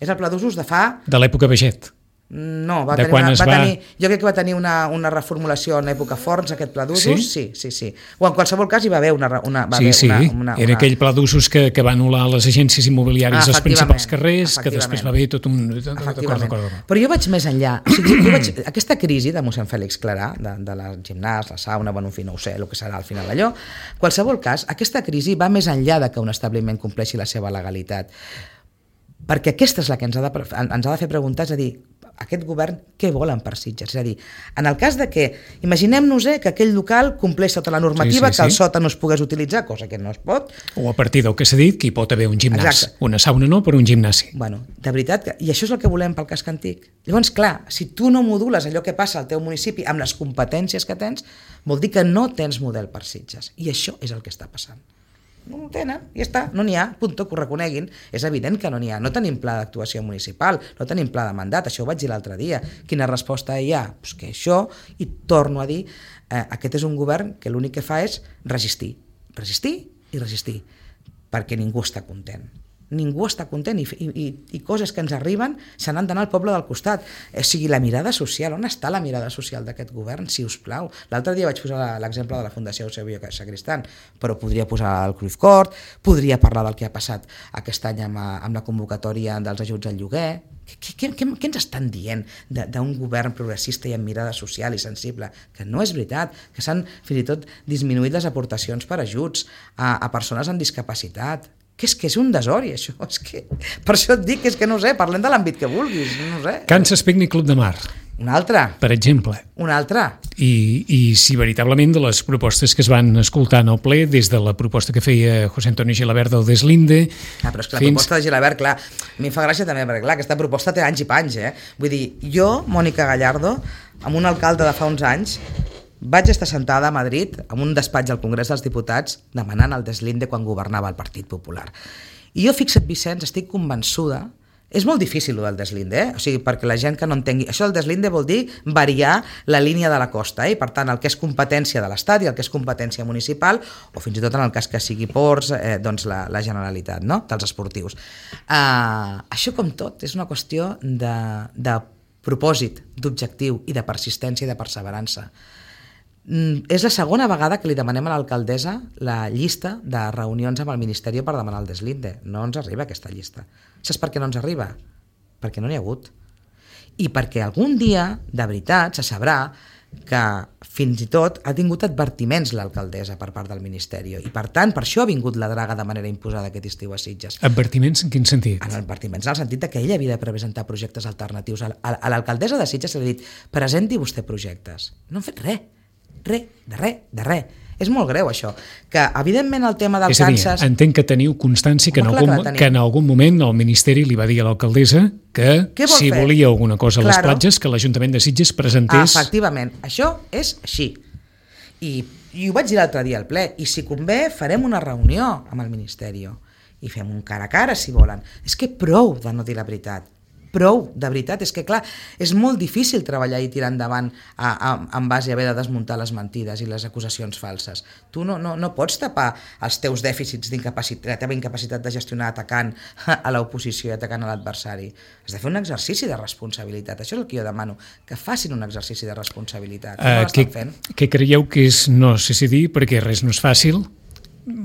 És el pla d'usos de fa... De l'època Baget. No, va tenir una, va tenir, jo crec que va tenir una, una reformulació en època Forns, aquest pla d'usos, sí? sí, sí, sí. O en qualsevol cas hi va haver una... una va sí, haver sí, una, una, era una... aquell pla d'usos que, que va anul·lar les agències immobiliàries ah, als principals carrers, que després va haver tot un... D'acord, d'acord. Però jo vaig més enllà. O sigui, jo vaig... Aquesta crisi de mossèn Fèlix Clarà, de, de la gimnàs, la sauna, bueno, en fi, no ho sé, el que serà al final allò, en qualsevol cas, aquesta crisi va més enllà de que un establiment compleixi la seva legalitat. Perquè aquesta és la que ens ha de, ens ha de fer preguntar, és a dir, aquest govern què volen per Sitges? És a dir, en el cas de que, imaginem-nos eh, que aquell local compleix tota la normativa, sí, sí, que el sí. sòtan no es pogués utilitzar, cosa que no es pot. O a partir del que s'ha dit, que hi pot haver un gimnàs. Exacte. Una sauna no, però un gimnàs. Bueno, de veritat, que, i això és el que volem pel casc antic. Llavors, clar, si tu no modules allò que passa al teu municipi amb les competències que tens, vol dir que no tens model per Sitges. I això és el que està passant. No ho tenen, ja està, no n'hi ha, punto, que ho reconeguin. És evident que no n'hi ha, no tenim pla d'actuació municipal, no tenim pla de mandat, això ho vaig dir l'altre dia. Quina resposta hi ha? Pues que això, i torno a dir, eh, aquest és un govern que l'únic que fa és resistir, resistir i resistir, perquè ningú està content. Ningú està content i, i, i coses que ens arriben se n'han d'anar al poble del costat. O sigui, la mirada social, on està la mirada social d'aquest govern, si us plau? L'altre dia vaig posar l'exemple de la Fundació Eusebio Sacristán, però podria posar el Cruyff Court, podria parlar del que ha passat aquest any amb, amb la convocatòria dels ajuts al lloguer. Què, què, què, què ens estan dient d'un govern progressista i amb mirada social i sensible? Que no és veritat, que s'han fins i tot disminuït les aportacions per ajuts a, a persones amb discapacitat. Que és que és un desori, això. És que, per això et dic que és que no sé, parlem de l'àmbit que vulguis, no sé. Kansas Picnic Club de Mar. Un altre. Per exemple. Un altre. I, I si veritablement de les propostes que es van escoltar en el ple, des de la proposta que feia José Antonio Gilabert del Deslinde... Ah, però és que la fins... proposta de Gilabert, clar, a mi em fa gràcia també, perquè clar, aquesta proposta té anys i panys, eh? Vull dir, jo, Mònica Gallardo, amb un alcalde de fa uns anys, vaig estar sentada a Madrid en un despatx al Congrés dels Diputats demanant el Deslinde quan governava el Partit Popular. I jo, fixa't, Vicenç, estic convençuda. És molt difícil, el del Deslinde, eh? O sigui, perquè la gent que no entengui... Això del Deslinde vol dir variar la línia de la costa, eh? I per tant, el que és competència de l'Estat i el que és competència municipal, o fins i tot en el cas que sigui ports, eh, doncs la, la Generalitat, no?, dels esportius. Uh, això, com tot, és una qüestió de, de propòsit, d'objectiu i de persistència i de perseverança. És la segona vegada que li demanem a l'alcaldessa la llista de reunions amb el Ministeri per demanar el Deslinde. No ens arriba aquesta llista. Saps per què no ens arriba? Perquè no n'hi ha hagut. I perquè algun dia, de veritat, se sabrà que fins i tot ha tingut advertiments l'alcaldessa per part del Ministeri. I per tant, per això ha vingut la draga de manera imposada aquest estiu a Sitges. Advertiments en quin sentit? En advertiments en el sentit que ella havia de presentar projectes alternatius. A l'alcaldessa de Sitges se li ha dit, presenti vostè projectes. No han fet res. Res, de res, de res. És molt greu, això. Que, evidentment, el tema del és a dir, Kansas... entenc que teniu constància que en, algun, que, que en algun moment el Ministeri li va dir a l'alcaldessa que si fer? volia alguna cosa a les claro. platges, que l'Ajuntament de Sitges presentés... Ah, efectivament, això és així. I, i ho vaig dir l'altre dia al ple. I si convé, farem una reunió amb el Ministeri i fem un cara a cara, si volen. És que prou de no dir la veritat. Prou, de veritat, és que clar, és molt difícil treballar i tirar endavant a, a, en base a haver de desmuntar les mentides i les acusacions falses. Tu no, no, no pots tapar els teus dèficits d'incapacitat, la teva incapacitat de gestionar atacant a l'oposició i atacant a l'adversari. Has de fer un exercici de responsabilitat, això és el que jo demano, que facin un exercici de responsabilitat. Uh, no què, què creieu que és, no sé si dir, perquè res no és fàcil,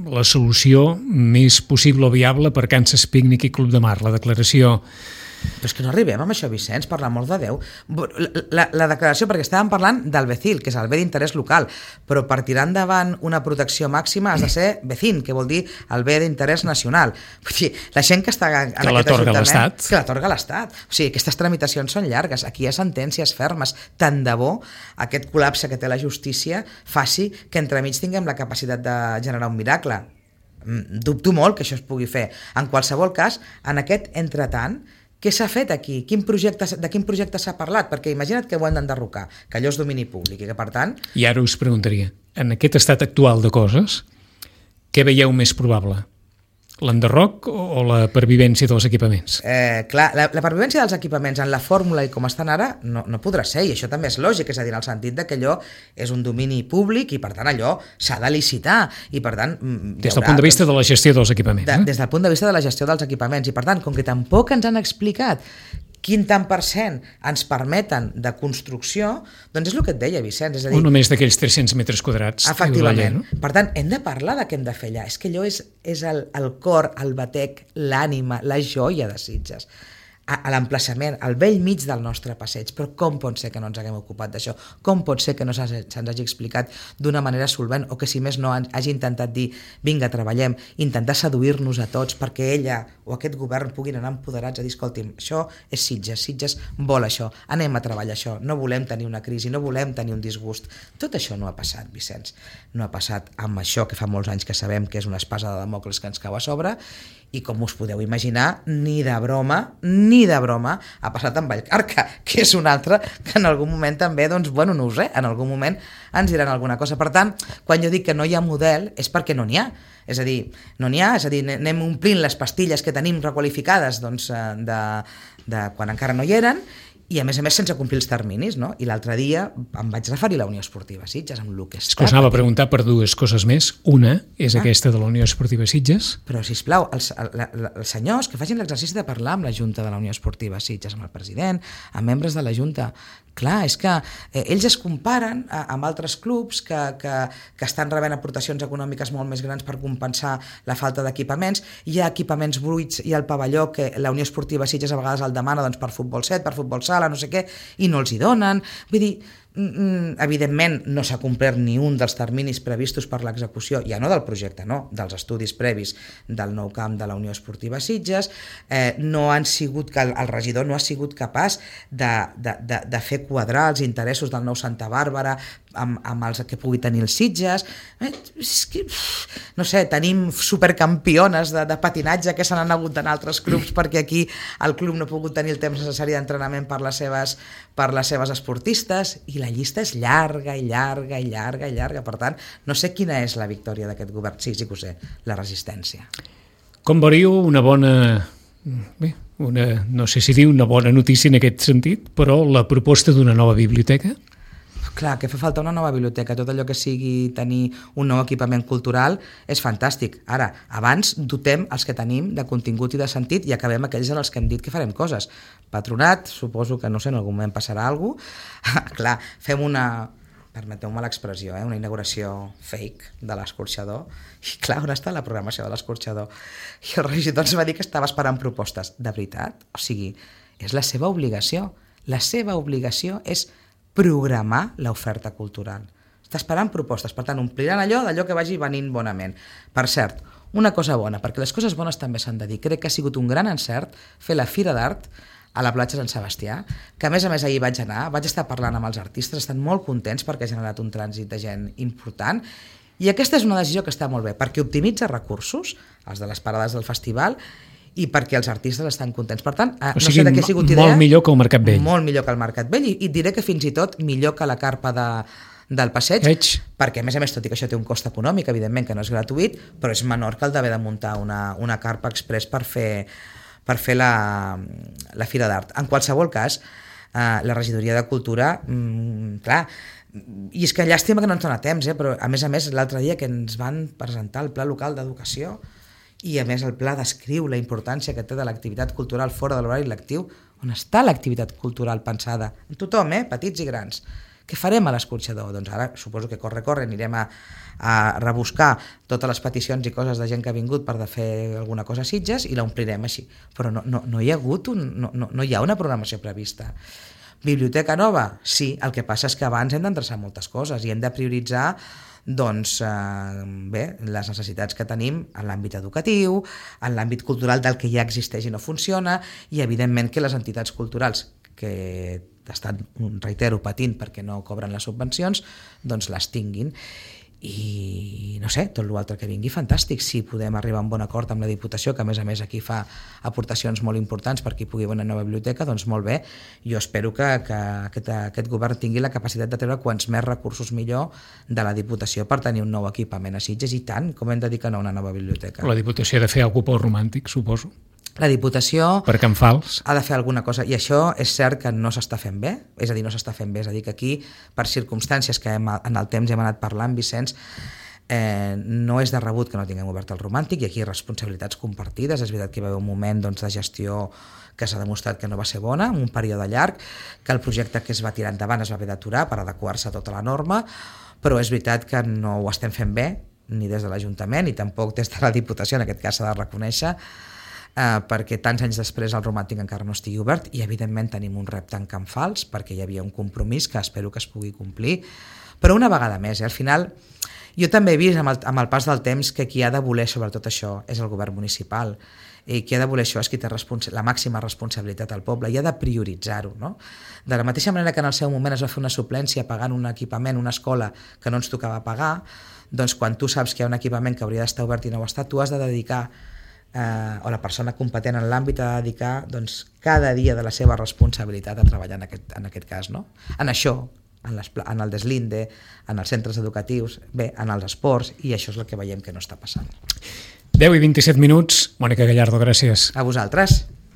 la solució més possible o viable per Kansas Picnic i Club de Mar, la declaració... Però és que no arribem amb això, Vicenç, per l'amor de Déu. La, la, la declaració, perquè estàvem parlant del BECIL, que és el bé d'interès local, però per tirar endavant una protecció màxima has de ser BECIN, que vol dir el bé d'interès nacional. Vull dir, la gent que està en que aquest ajuntament... l'Estat. Que l'atorga l'Estat. O sigui, aquestes tramitacions són llargues. Aquí hi ha sentències fermes. Tant de bo aquest col·lapse que té la justícia faci que entremig tinguem la capacitat de generar un miracle. Dubto molt que això es pugui fer. En qualsevol cas, en aquest entretant, què s'ha fet aquí? Quin projecte, de quin projecte s'ha parlat? Perquè imagina't que ho hem d'enderrocar, que allò és domini públic i que, per tant... I ara us preguntaria, en aquest estat actual de coses, què veieu més probable? L'enderroc o la pervivència dels equipaments? Eh, clar, la, la pervivència dels equipaments en la fórmula i com estan ara no, no podrà ser, i això també és lògic, és a dir, en el sentit de que allò és un domini públic i per tant allò s'ha de licitar i per tant... Des del punt de vista de la gestió dels equipaments. De, eh? Des del punt de vista de la gestió dels equipaments i per tant, com que tampoc ens han explicat quin tant per cent ens permeten de construcció, doncs és el que et deia, Vicenç. És a dir, o només d'aquells tres-cents metres quadrats. Efectivament. Llei, no? Per tant, hem de parlar de què hem de fer allà. És que allò és, és el, el cor, el batec, l'ànima, la joia de Sitges. A, a l'emplaçament, al vell mig del nostre passeig. Però com pot ser que no ens haguem ocupat d'això? Com pot ser que no se'ns hagi explicat d'una manera solvent o que, si més no, hagi intentat dir vinga, treballem, intentar seduir-nos a tots perquè ella o aquest govern puguin anar empoderats a dir, escolti'm, això és Sitges, Sitges vol això, anem a treballar això, no volem tenir una crisi, no volem tenir un disgust. Tot això no ha passat, Vicenç. No ha passat amb això que fa molts anys que sabem que és una espasa de Dàmocles que ens cau a sobre i, com us podeu imaginar, ni de broma, ni de broma ha passat amb Vallcarca, que és un altre que en algun moment també, doncs, bueno, no ho sé, en algun moment ens diran alguna cosa. Per tant, quan jo dic que no hi ha model és perquè no n'hi ha. És a dir, no n'hi ha, és a dir, anem omplint les pastilles que tenim requalificades doncs, de, de quan encara no hi eren, i a més a més sense complir els terminis, no? I l'altre dia em vaig referir a la Unió Esportiva Sitges, amb el que està... És que us anava a preguntar per dues coses més. Una és ah. aquesta de la Unió Esportiva Sitges. Però, sisplau, els, el, els senyors que facin l'exercici de parlar amb la Junta de la Unió Esportiva Sitges, amb el president, amb membres de la Junta... Clar, és que eh, ells es comparen a, amb altres clubs que, que, que estan rebent aportacions econòmiques molt més grans per compensar la falta d'equipaments. Hi ha equipaments buits i el pavelló que la Unió Esportiva Sitges a vegades el demana doncs, per futbol set, per futbol sala, no sé què, i no els hi donen. Vull dir, evidentment no s'ha complert ni un dels terminis previstos per l'execució, ja no del projecte, no, dels estudis previs del nou camp de la Unió Esportiva Sitges. Eh, no han sigut, que el, el regidor no ha sigut capaç de, de, de, de fer quadrar els interessos del nou Santa Bàrbara amb, amb els que pugui tenir els Sitges. Eh, és que, no sé, tenim supercampiones de, de patinatge que se n'han hagut d'anar a altres clubs perquè aquí el club no ha pogut tenir el temps necessari d'entrenament per les seves, per les seves esportistes, i la llista és llarga i llarga i llarga i llarga. Per tant, no sé quina és la victòria d'aquest govern. Sí, sí que ho sé, la resistència. Com veuríeu una bona... Bé, una, no sé si dir una bona notícia en aquest sentit, però la proposta d'una nova biblioteca? Clar, que fa falta una nova biblioteca, tot allò que sigui tenir un nou equipament cultural és fantàstic. Ara, abans dotem els que tenim de contingut i de sentit i acabem aquells en els que hem dit que farem coses. Patronat, suposo que, no sé, en algun moment passarà alguna cosa. Clar, fem una, permeteu-me l'expressió, eh, una inauguració fake de l'escorxador, i clar, on està la programació de l'escorxador? I el regidor ens va dir que estava esperant propostes. De veritat? O sigui, és la seva obligació. La seva obligació és programar l'oferta cultural. Està esperant propostes, per tant, ompliran allò d'allò que vagi venint bonament. Per cert, una cosa bona, perquè les coses bones també s'han de dir. Crec que ha sigut un gran encert fer la Fira d'Art a la platja Sant Sebastià, que a més a més ahir vaig anar, vaig estar parlant amb els artistes, estan molt contents perquè ha generat un trànsit de gent important, i aquesta és una decisió que està molt bé, perquè optimitza recursos, els de les parades del festival, i perquè els artistes estan contents. Per tant, o no sigui, sé de què ha sigut idea. Molt millor que el Mercat Vell. Molt millor que el Mercat Vell, i, i et diré que fins i tot millor que la carpa de, del passeig, Eig. perquè a més a més, tot i que això té un cost econòmic, evidentment que no és gratuït, però és menor que el d'haver de muntar una, una carpa express per fer, per fer la, la Fira d'Art. En qualsevol cas, eh, la regidoria de Cultura, mmm, clar, i és que llàstima que no ens dona temps, eh, però a més a més l'altre dia que ens van presentar el Pla Local d'Educació, i a més el pla descriu la importància que té de l'activitat cultural fora de l'horari lectiu. On està l'activitat cultural pensada? En tothom, eh? Petits i grans. Què farem a l'escorxador? Doncs ara suposo que corre, corre, anirem a, a rebuscar totes les peticions i coses de gent que ha vingut per de fer alguna cosa a Sitges i l'omplirem així. Però no, no, no hi ha hagut un, no, no, no hi ha una programació prevista. Biblioteca nova? Sí, el que passa és que abans hem d'endreçar moltes coses i hem de prioritzar doncs, eh, bé, les necessitats que tenim en l'àmbit educatiu, en l'àmbit cultural del que ja existeix i no funciona, i evidentment que les entitats culturals que estan, reitero, patint perquè no cobren les subvencions, doncs les tinguin. i no sé, tot l'altre que vingui fantàstic, si podem arribar a un bon acord amb la Diputació, que a més a més aquí fa aportacions molt importants perquè hi pugui haver una nova biblioteca, doncs molt bé. Jo espero que, que aquest, aquest govern tingui la capacitat de treure quants més recursos millor de la Diputació per tenir un nou equipament a Sitges, i tant, com hem de dir que no a una nova biblioteca. La Diputació ha de fer alguna cosa romàntic, suposo. La Diputació per Can Fals ha de fer alguna cosa, i això és cert que no s'està fent bé, és a dir, no s'està fent bé, és a dir, que aquí, per circumstàncies que hem, en el temps hem anat parlant, Vicenç, eh, no és de rebut que no tinguem obert el romàntic, i aquí responsabilitats compartides. És veritat que hi va haver un moment doncs, de gestió que s'ha demostrat que no va ser bona, un període llarg, que el projecte que es va tirar endavant es va haver d'aturar per adequar-se a tota la norma, però és veritat que no ho estem fent bé, ni des de l'Ajuntament, ni tampoc des de la Diputació, en aquest cas s'ha de reconèixer, Uh, perquè tants anys després el romàntic encara no estigui obert, i evidentment tenim un repte en Can Fals perquè hi havia un compromís que espero que es pugui complir, però una vegada més, eh, al final jo també he vist amb el, amb el pas del temps que qui ha de voler sobretot això és el govern municipal, i qui ha de voler això és qui té responsa- la màxima responsabilitat al poble, i ha de prioritzar-ho, no? De la mateixa manera que en el seu moment es va fer una suplència pagant un equipament, una escola que no ens tocava pagar, doncs quan tu saps que hi ha un equipament que hauria d'estar obert i no ho està, tu has de dedicar Eh, o la persona competent en l'àmbit ha de dedicar doncs, cada dia de la seva responsabilitat a treballar en aquest, en aquest cas, no? En això, en, les, en el deslinde, en els centres educatius, bé, en els esports, i això és el que veiem que no està passant. deu i vint-i-set minuts. Mònica Gallardo, gràcies. A vosaltres.